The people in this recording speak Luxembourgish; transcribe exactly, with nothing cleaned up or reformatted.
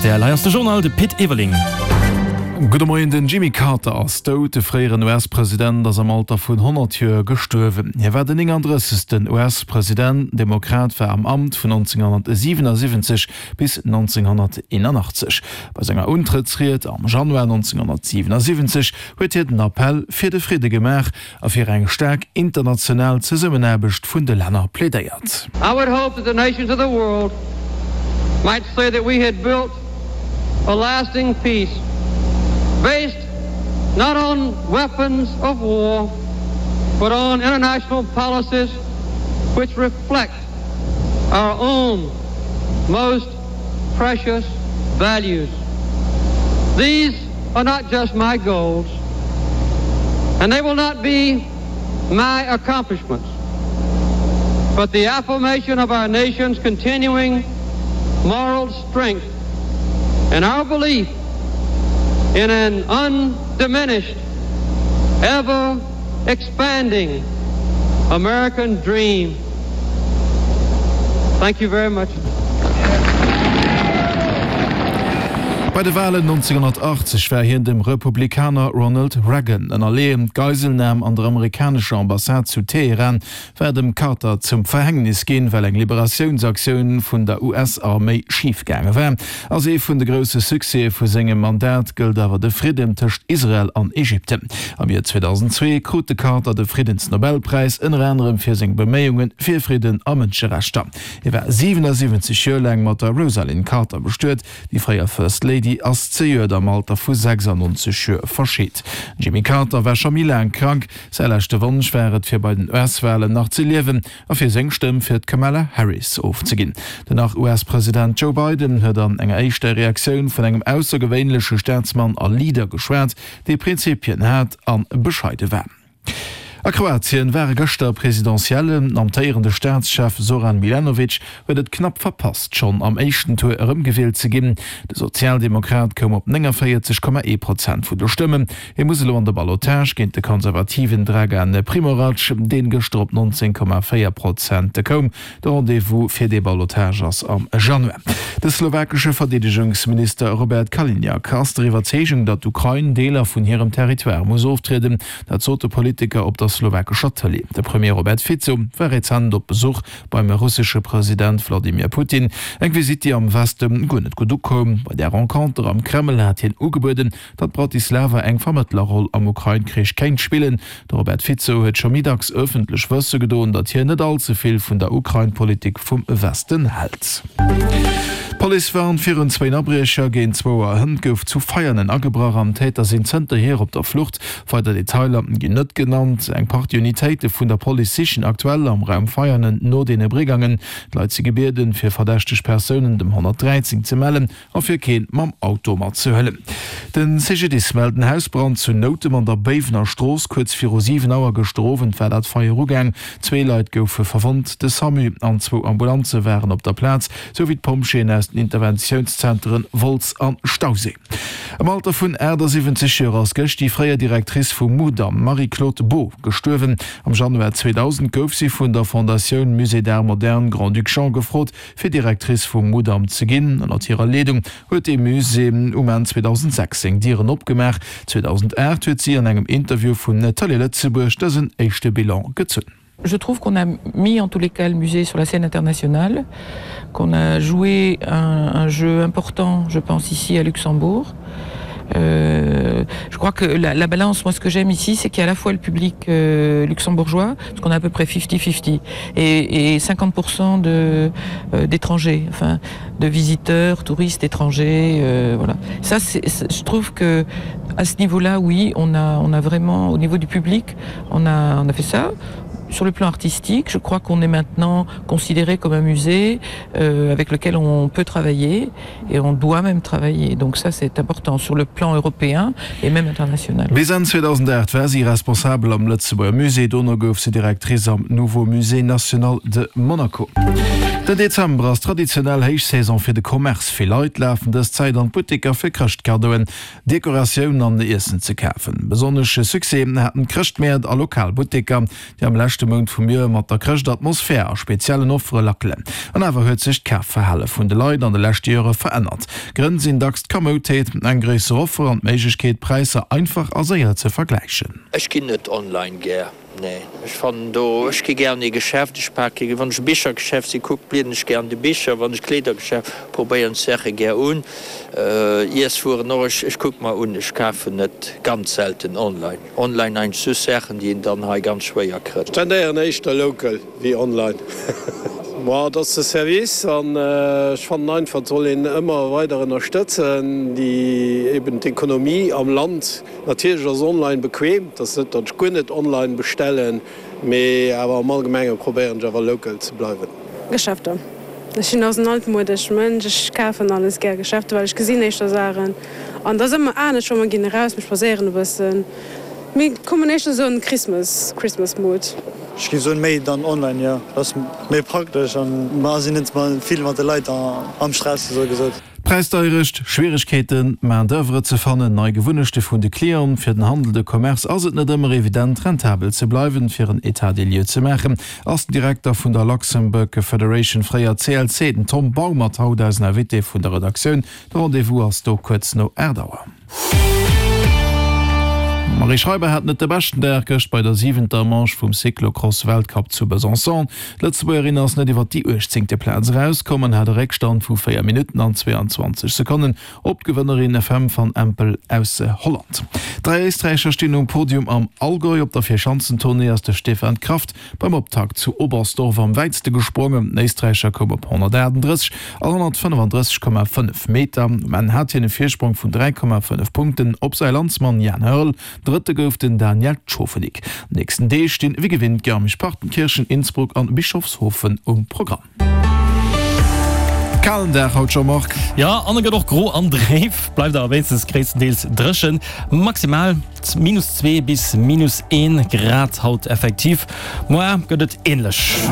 R T L. Hei ass de Journal, de Pit Everling. Gudde Moien, Den Jimmy Carter ass dout. De fréieren U S-President ass am Alter vun honnert Joer gestuerwen. Hie war den nénganddrëssegsten U S-President. Den Demokrat war am Amt vun nonzénghonnertsiwenasiwwenzeg bis nonzénghonnerteenanachtzeg. Bei senger Untrëttsried am Januar nonzénghonnertsiwenasiwwenzeg huet hien den Appell fir de Fridde gemaach a fir eng staark international Zesummenaarbecht vun de Länner plädéiert. I would hope that the nations of the world might say that we had built a lasting peace based not on weapons of war, but on international policies which reflect our own most precious values. These are not just my goals, and they will not be my accomplishments, but the affirmation of our nation's continuing moral strength and our belief in an undiminished, ever expanding American dream. Thank you very much. Bei de Walen nonzénghonnertachtzeg war hien dem Republikaner Ronald Reagan ënnerleeën. D'Geiselnam an der amerikanescher Ambassade zu Teheran war dem Carter zum Verhängnis ginn, well eng Liberatiounsaktioun vun der U S-Arméi schif gaange war. Als ee vun de grousse Succèse vu sengem Mandat gëllt awer de Fridden tëscht Israel an Ägypten. Am Joer zweedausendzwee krut de Carter de Friddensnobelpräis, ënner anerem fir seng Beméiunge fir Fridden a Mënscherechter. Hie war siwenasiwwenzeg Joer laang mat der Rosalynn Carter bestuet. Déi fréier First Lady ass zejoert am Alter vu sechsannonzeg Joer verscheet. Den Jimmy Carter war scho méi laang krank. Säi leschte Wonsch war et, fir bei den U S-Walen nach ze liewen a fir seng Stëmm fir d'Kamala Harris ofzeginn. Den Nach-U S-President Joe Biden huet an enger éischter Reaktioun vun engem aussergewéinleche Staatsmann a Leader geschwat, dee Prinzipien hat a bescheide war. A Kroatien ware gëschter Presidentiellen. Den amtéierende Staatschef Zoran Milanovic huet et knapp verpasst, schonn am éischten Tour erëmgewielt ze ginn. De Sozialdemokrat koum op néngavéierzeg Komma ee Prozent vun de Stëmmen. Hie muss elo an de Ballotage géint de konservativen Dragan Primorac, deen gëschter op nonzéng Komma véier Prozent koum. De Rendez-vous fir dee Ballotage ass am Januar. De slowakesche Verdeedegungsminister Robert Kaliňák ass der Iwwerzeegung, datt d'Ukrain Deeler vun hirem Territoire muss oftrieden. Dat sot de Politiker op der slowakescher Tëlee. De Premier Robert Fico war rezent op Besuch beim russesche President Wladimir Putin. Eng Visitt, déi am Weste guer net gutt ukoum. Bei där Renconter am Kreml hat hien ugebueden, datt Bratislava eng Vermëttlerroll am Ukrain-Krich kéint spillen. De Robert Fico huet scho méi dacks ëffentlech wësse gedoen, datt hien net all ze vill vun der Ukrain-Politik vum Westen hält. D'Police warnt virun zwéin Abriecher. Géint zwou Auer hënt gouf zu Veianen agebrach an d'Täter sinn zënterhier op der Flucht. Weider Detailer ginn net genannt. Eng Partie Unitéite vun der Police sichen aktuell am Raum Veianen no deene Brigangen. D'Leit si gebieden, fir verdächteg Persounen dem honnertdräizéng ze mellen a fir keen mam Auto matzehuelen. De C G D I S mellt en Hausbrand zu Noutem an der Béiwener Strooss. Kuerz viru siwen Auer gëschter Owend war dat Feier ugaang. Zwee Leit goufe verwonnt. De SAMU an zwou Ambulanze waren op der Plaz, sou wéi d'Pompjeeën aus den Interventiounszenteren Wolz an Stauséi. Am Alter vun aachtasiwwenzeg Joer ass gëscht déi fréier Directrice vum Mudam, Marie-Claude Beaud, gestuerwen. Am Januar zweedausend gouf si vun der Fondatioun Musée d'Art Moderne Grand-Duc Jean gefrot, fir Directrice vum Mudam ze ginn. Ënnert hirer Leedung huet dee Musée um Enn zweedausendsechs seng Dieren opgemaach. zweedausendacht huet si an engem Interview vun Tëlee Lëtzebuerg dësen éischte Bilan gezunn. Je trouve qu'on a mis en tous les cas le musée sur la scène internationale, qu'on a joué un, un jeu important, je pense ici à Luxembourg. Euh, je crois que la, la balance, moi ce que j'aime ici, c'est qu'il y a à la fois le public euh, luxembourgeois, parce qu'on a à peu près cinquante cinquante et, et cinquante pour cent de euh, d'étrangers, enfin de visiteurs, touristes étrangers, euh, voilà. Ça c'est, je trouve que à ce niveau-là, oui, on a, on a vraiment au niveau du public, on a, on a fait ça. Sur le plan artistique, je crois qu'on est maintenant considéré comme un musée euh, avec lequel on peut travailler et on doit même travailler. Donc ça c'est important sur le plan européen et même international. Bis Enn zweedausendacht war si Responsabel am Lëtzebuerger Musée, dono gouf si Directrice am Nouveau Musée National de Monaco. Den Dezember ass traditionell Héichsaison fir de Commerce. Vill Leit lafen dës Zäit an d'Butteker fir Chrëschtkadoen, Dekoratioun an Iessen ze kafen. Besonnesche Succès haten d'Chrëschtmäert a lokal Butteker, déi am leschte Mount vum Joer mat der Chrëschtatmosphär a speziellen Offere lackelen. An awer huet sech d'Kafverhale vun de Leit an de leschte Jore verännert. Grënn sinn dacks d'Kommoutéit, eng gréisser Offer an d'Méiglechkeet, Präisser einfach a séier ze vergläichen. Ech ginn net online gär, nee. Ech fannen do, ech gi gär an ee Geschäft, ech pake, wann ech e Bichergeschäft si kuck, blieden ech gär an de Bicher, wann ech Kleedergeschäft, probéieren d'Saache gär un, Iesswueren och, ech, ech kucke mer un, ech kafen net, ganz selten online. Online eigentlech just Saachen, déi een dann hei ganz schwéier kritt. Ech tendéieren éischter local wéi online. Ma et ass de Service an ech fannen einfach, et soll een ëmmer weider ënnerstëtzen, déi eben d'Ekonomie am Land. Natierlech ass online bequem, et ass net, datt ech guer net online bestellen, mee awer am Allgemenge probéieren ech awer local ze bleiwen. Geschäfter. Ech sinn och en altmodesch Mënsch, ech kafen alles gär Geschäfter, well ech gesinn éischter Saachen an et ass ëmmer anescht, wa mer ginn eraus, mir spadséieren e bëssen, mir kommen éischter esou an den Christmas, Christmas Mood. Ech géif soen méi dann online, jo, dat ass méi praktesch an mer sinn net vill mat de Leit am Stress esou gesot. Präisdeierecht, Schwieregkeeten, Main d'oeuvre ze fannen, nei Gewunnechte vun de Clienten, fir den Handel, de Commerce ass et net ëmmer evident, rentabel ze bleiwen. Fir en État des lieux ze maachen, ass den Direkter vun der Luxembourg Federation, fréier C L C, den Tom Baumert haut eisen Invité vun der Redaktioun. De Rendez-vous ass do kuerz no aacht Auer. D'Marie Schreiber hat net de beschten Dag gëscht bei der siwenter Manche vum Cyclocross-Weltcup zu Besançon. D'Lëtzebuergerin ass net iwwer déi uechtzéngte Plaz erauskomm an hat e Réckstand vu véier Minutten an zweeanzwanzeg Sekonnen op d'Gewënnerin Fem van Empel aus Holland. Dräi Éisträicher stinn um Podium am Allgäu. Op der Vierschanzentournée ass de Stefan Kraft beim Optakt zu Oberstdorf am wäitste gesprongen. Den Éisträicher koum op honnertaachtenddrësseg an honnertfënnefandrësseg Komma fënnef Meter. Um Enn hat hien e Virsprong vun dräi Komma fënnef Punkten op säi Landsmann Jan Hörl. Drëtte gouf den Daniel Tschofenig. An den nächsten Deeg stinn wéi gewinnt Garmisch-Partenkirchen, Innsbruck an Bischofshofen um Programm. Kalen Dag haut, Jean-Marc. Jo, an e gëtt och gro an dréif, bleift awer wéinstens gréisstendeels dréchen. Maximal minus zwee bis minus een Grad haut effektiv. Moar gëtt et änlech.